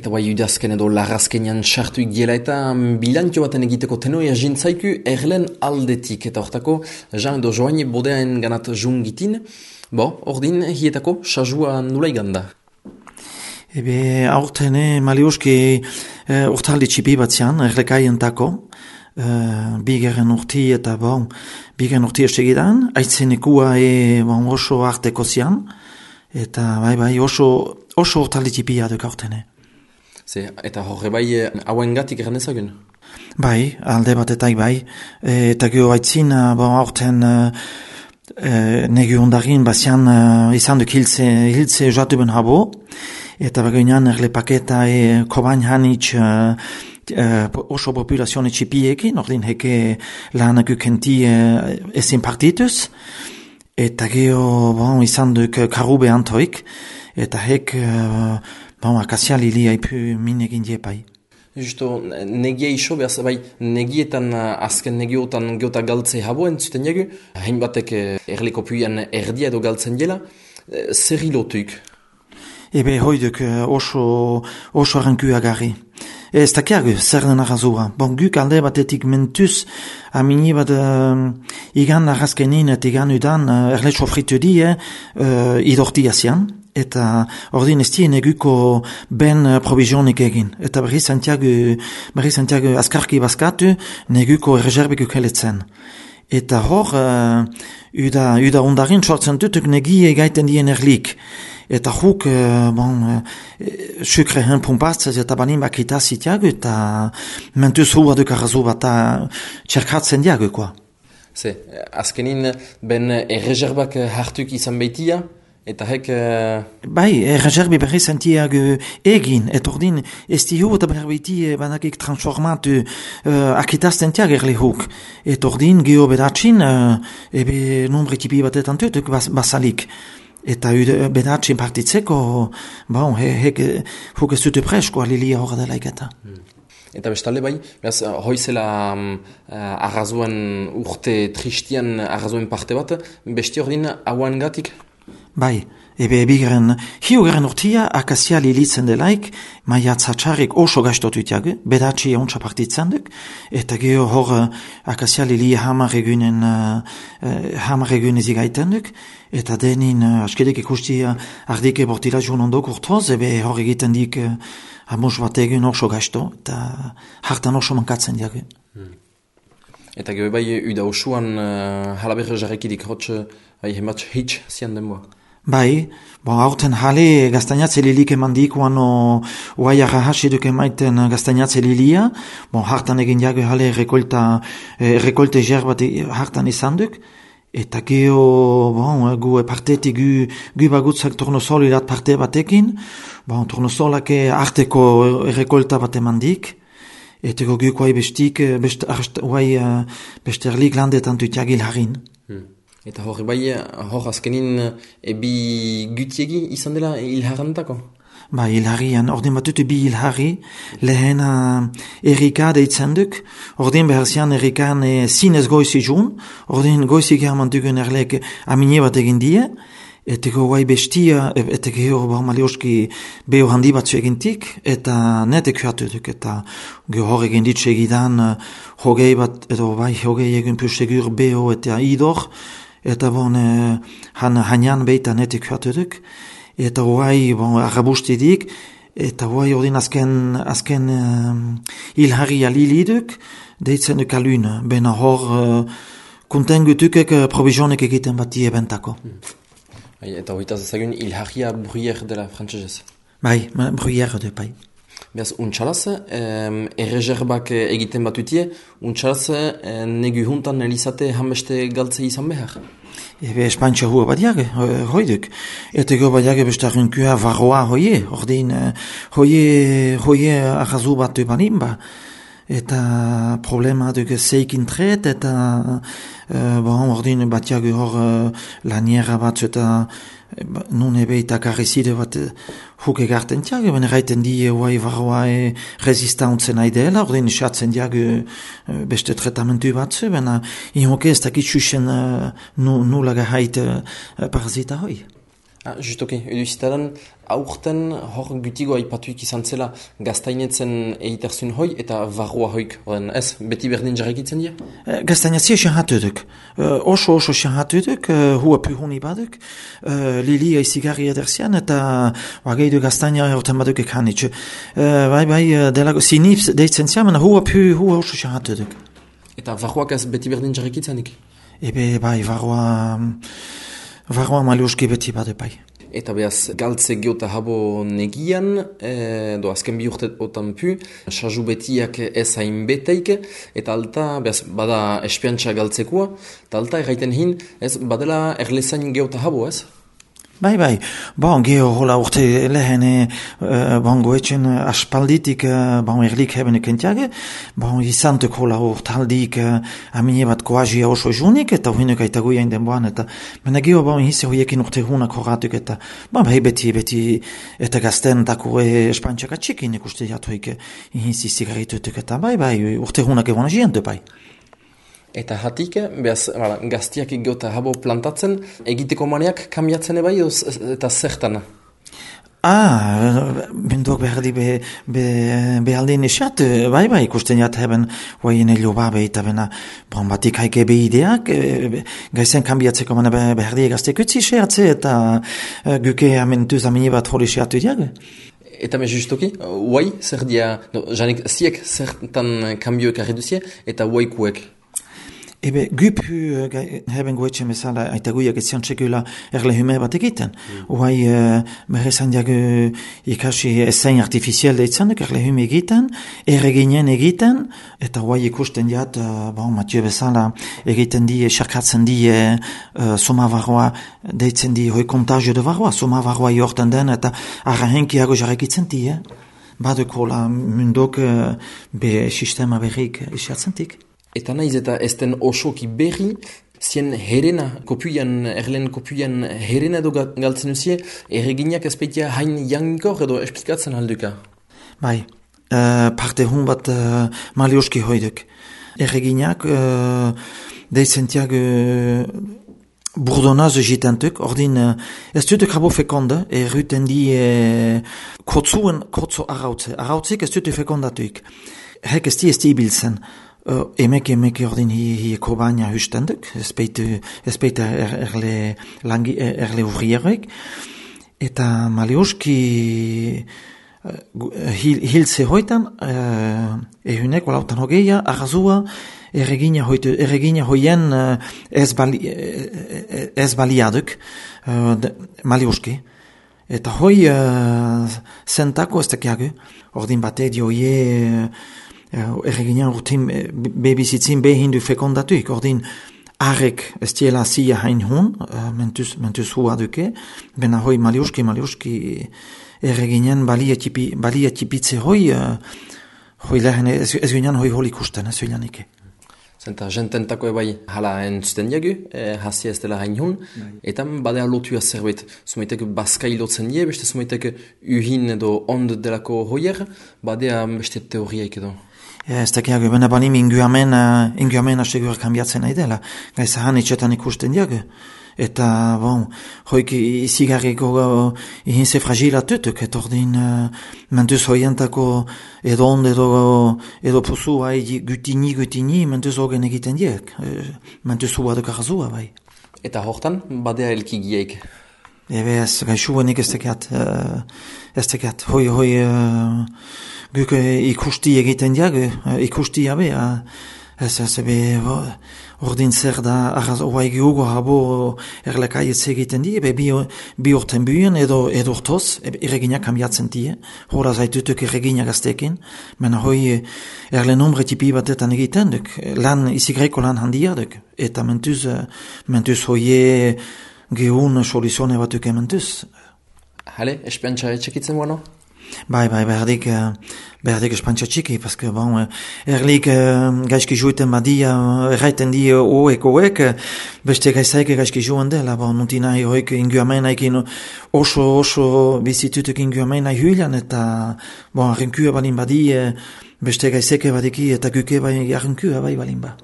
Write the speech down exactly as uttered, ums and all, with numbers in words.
Eta bai udazken edo larrazkenean sartu ikiela eta bilantio baten egiteko tenoia jintzaiku erlen aldetik. Eta hortako, Jean edo Joaine bodeaen ganat jungitin, bo, ordin hietako sajua nula iganda. Ebe, aurten, eh, malioski eh, urtaldi txipi batzian, erlekaientako, eh, bigeren urti eta bon, bigeren urti estegidan, aitzenekua e, bon, oso arteko zian, eta bai bai oso, oso urtaldi txipia duk aurten, eh. Ze, eta horre bai hauen gatik eran ezagun? Bai, alde batetai bai. E, eta geho haitzin, bon, aurten e, negi ondarin bazian e, izan duk hiltze, hiltze joatu ben habo. Eta bagoinan erle paketa e, kobain hanitz e, e, oso populazione txipiekin, ordin heke lanak ukenti e, ezin partituz. Eta geho bon, izan duk karube antoik. Eta hek... E, Bon, akasia lilia ipu min egin diepai. Justo, negia iso, behaz, bai, negietan, azken negiotan geota galtze habo entzuten jagu, hain batek erliko puian erdia edo galtzen dela, zer hilotuik? Ebe hoiduk oso, oso arranku agarri. Ez takiagu, zer den arrazua. Bon, guk alde batetik mentuz, amini bat uh, igan arrazkenin eta igan udan uh, erle sofritu die uh, idorti asian. Eta ordin ez dien eguko ben uh, provizionik egin. Eta berri Santiago, berri Santiago askarki baskatu, neguko errezerbik ukeletzen. Eta hor, uh, uda, uda ondarin sortzen dutuk negi egaiten dien erlik. Eta huk, uh, bon, uh, sukrehen pumpatzez eta banin bakita zitiago, eta mentuz hua duk arrazu bat txerkatzen diago, koa. Ze, azkenin ben errezerbak hartuk izan behitia, eta hek... Uh... Bai, erreserbi berri sentiak uh, egin, et ordin, ez dihu eta berbeti banakik transformatu uh, akitazten tiak erle huk. Et ordin, geho bedatxin, uh, ebe numbre tipi batetan tutuk bas, basalik. Eta uh, bedatxin partitzeko, bon, he, hek huk ez dute presko alilia horra dela iketa. Hmm. Eta bestale bai, behaz, hoizela um, uh, arrazuan urte tristian arrazuen parte bat, besti ordin hauan gatik? Bai, ebe bigaren, hiugaren urtia akasia lilitzen delaik, maia txatxarrik oso gaiztotu itiagu, bedatxi ontsa partitzen duk, eta geho hor akasia lili hamar egunen, uh, hamar egunen zigaiten duk, eta denin uh, askedek ikusti uh, ardike bortila joan ondok urtoz, ebe hor egiten dik uh, amos bat egun oso gaizto, eta hartan oso mankatzen diagu. Hmm. Eta geho bai, uda osuan uh, halaberre jarrekidik hotz, bai, hematx hitz zian denboa. Bai, bon, aurten jale gaztainatze lilik eman dikuan oai arrahasi duk emaiten gaztainatze lilia, bon, hartan egin jago jale rekolta, eh, rekolte jer bat hartan izan duk, eta geho, bon, gu partetik gu, gu bagutzak turnosol irat parte batekin, bon, turnosolak arteko rekolta bat eman dik, eta gu guai bestik, best, arst, oai, beste erlik landetan dutiagil harin. Hmm. Eta hori bai, hor azkenin ebi gutiegi izan dela hilharantako? Ba, hilharian, ordin batute bi hilhari, lehena Erika deitzen duk, ordin beharzian Erikan e, zinez goizi jun, ordin goizi german dugun erlek amine bat egin die, eteko guai bestia, eteko hor ba malioski beho handi batzu egintik, eta netek huatu duk, eta hor egin ditxe egidan, hogei bat, edo bai, hogei egin pustegur beho eta idor, eta bon, eh, han, hanian beita netik huatu duk, eta guai, bon, arrabustidik, eta guai ordin azken, azken uh, ilharri aliliduk, deitzen duk alun, bena hor, uh, kuntengutukek uh, provizionek egiten bat die bentako. Hmm. Eta hoitaz ezagun ilharria bruyer dela frantzesez? Bai, bruyer de pai. Beaz, untxalaz, eh, errezerbak egiten batutie, untxalaz eh, negu juntan elizate hameste galtze izan behar? Ebe espantxa hua badiak, hoiduk. Eta go badiak bestarrenkua varroa hoie, ordin, hoie, hoie arrazu bat banin ba. Eta problema duk zeikin tret, eta uh, bon, ordin batiak hor uh, laniera bat, eta nun ebe eta karrizide bat huk egarten tiag, ben erraiten di huai varroa e resistantzen aidela, ordin esatzen diag beste tratamentu batzu, ben inhoke ez dakit xuxen uh, nula gehait uh, parazita hoi. Ah, justoki, edu zitaran, aurten hor gutigo aipatuik izan zela gaztainetzen eiterzun hoi eta varroa hoik. Oden, ez, beti berdin jarrekitzen dira? Uh, Gaztainatzia xahatuduk. Uh, oso oso xahatuduk, uh, hua puhuni baduk, uh, lilia izigarri ederzian eta wageidu gaztaina horten baduk ekanitxu. Uh, bai bai, uh, delago, sinif deitzen ziamen, hua pu, hua oso xahatuduk. Eta varroak ez beti berdin jarrekitzenik? Ebe bai, varroa, varroa maliuski beti badu bai. Eta behaz, galtze geota habo negian, e, do azken bi urte otan pu, saju betiak ez hain beteik, eta alta, behaz, bada espiantxa galtzekua, eta alta erraiten hin, ez, badela erlezain geota habo, ez? Bai, bai, bon, geho hola urte lehen uh, bon, goetxen aspalditik uh, bon, erlik hebben ekentiage, bon, izantek hola urtaldik uh, amine bat koazia oso junik, eta huinek aitagu jain denboan, eta mena geho bon, hise hoiekin urte hunak horatuk, eta bon, bai, beti, beti, eta gazten tako e, espantxaka txikin ikuste jatuik hisi zigarritutuk, eta bai, bai, urte hunak egon agientu, bai. Eta hatik, behaz, bala, gaztiak geota habo plantatzen, egiteko maneak kambiatzen ebai, eta zertan? Ah, bendok behar di be, be, behaldin esat, bai bai, ikusten jat heben, hoaien elio babe eta bena, bon, batik haike behideak, e, gaizen kambiatzeko mana behar di egaztek utzi seatze, eta e, guke amentuz amini bat hori seatu diag. Eta me justoki, huai, zer dia, no, janik, ziek zertan kambioek arreduzie, eta huaikuek? Ebe, gupu uh, hebben goetxe mesala aitaguiak etzian txekula erle hume bat egiten. Uai, uh, berrezan diag uh, ikasi ezain artifizial deitzanduk erle hume egiten, erreginen egiten, eta uai ikusten diat, uh, bon, Mathieu bezala egiten di, xarkatzen di uh, soma varroa, deitzen di hoi kontagio de varroa, soma varroa jortan den, eta arrahenkiago jarrekitzen di, eh? Baduko la mundok uh, be sistema berrik isiatzentik. Eta naiz eta ezten osoki berri, zien herena, kopuian, erlen kopuian herena edo galtzen uzie, erreginak ezpeitia hain jankor edo esplikatzen alduka? Bai, uh, parte hun bat uh, malioski hoiduk. Erreginak, uh, deizentiak uh, burdonaz jitantuk, ordin uh, ez dutuk habo fekonda, erruten di uh, kotzuen kotzo arautze. Arautzik ez dutuk fekondatuik. Hek ez di ez di ibiltzen. Uh, emek emek ordin hi, hi kobaina hustenduk, ezpeit er, erle, langi, erle urriarek, eta malioski uh, hil, hiltze hoitan, uh, ehunek, walautan hogeia, arrazua, erregina, hoitu, erregina hoien uh, ez, bali, uh, ez baliaduk, uh, malioski. Eta hoi uh, zentako ez tekiagu, ordin bate dioie, uh, erreginan urtin bebizitzin behin du fekondatuik, ordin arek ez diela zia hain hun, uh, mentuz, mentuz hua duke, bena hoi maliuski, maliuski erreginan balia tipitze hoi, uh, hoi lehen ez, ez ginean hoi holi kusten, ez gineanike. Zenta jententako ebai hala entzuten diagu, eh, hasi ez dela hain hun, eta badea lotua zerbait, zumaitek bazka ilotzen die, beste zumaitek uhin edo ond delako hoier, badea beste teoriaik edo. Ez tekiago, bena banim inguamen, uh, inguamen asegur kambiatzen nahi dela. Gaiz ahan itxetan ikusten diago. Eta, bon, hoik izigarriko uh, ihinze fragilattutuk, eta ordin uh, mentuz hoientako edo ond edo, edo puzu hai gutini gutini mentuz hogen egiten diek. Uh, mentuz hua duk arrazua, bai. Eta hortan, badea elkigiek? Ebe ez, gaixuenik ez tekiat, uh, ez tekiat, hoi, hoi, uh, guk ikusti egiten diag, ikusti jabe, ez ez ebe, ordin zer da, arraz, oa egiugo habo erlekaietz egiten di, ebe bi, bi urten buien edo edurtoz, erreginak kambiatzen di, hora zaitutuk erreginak aztekin, mena hoi erle nombre tipi batetan egiten duk, lan, izigreko lan handia duk, eta mentuz, mentuz hoie gehun soluzione batuk ementuz. Hale, espiantxa etxekitzen guano? Bai, bai, berdik, berdik espantxa txiki, paske, bon, erlik gaizki juiten badia, erraiten di oek, oek, beste gaizaik gaizki juen dela, bon, nunti nahi hoik inguamen haikin oso, oso bizitutuk inguamen nahi huilan, eta, bon, arrinkua balin badi, beste gaizeke badiki, eta guke bai arrinkua bai balin ba.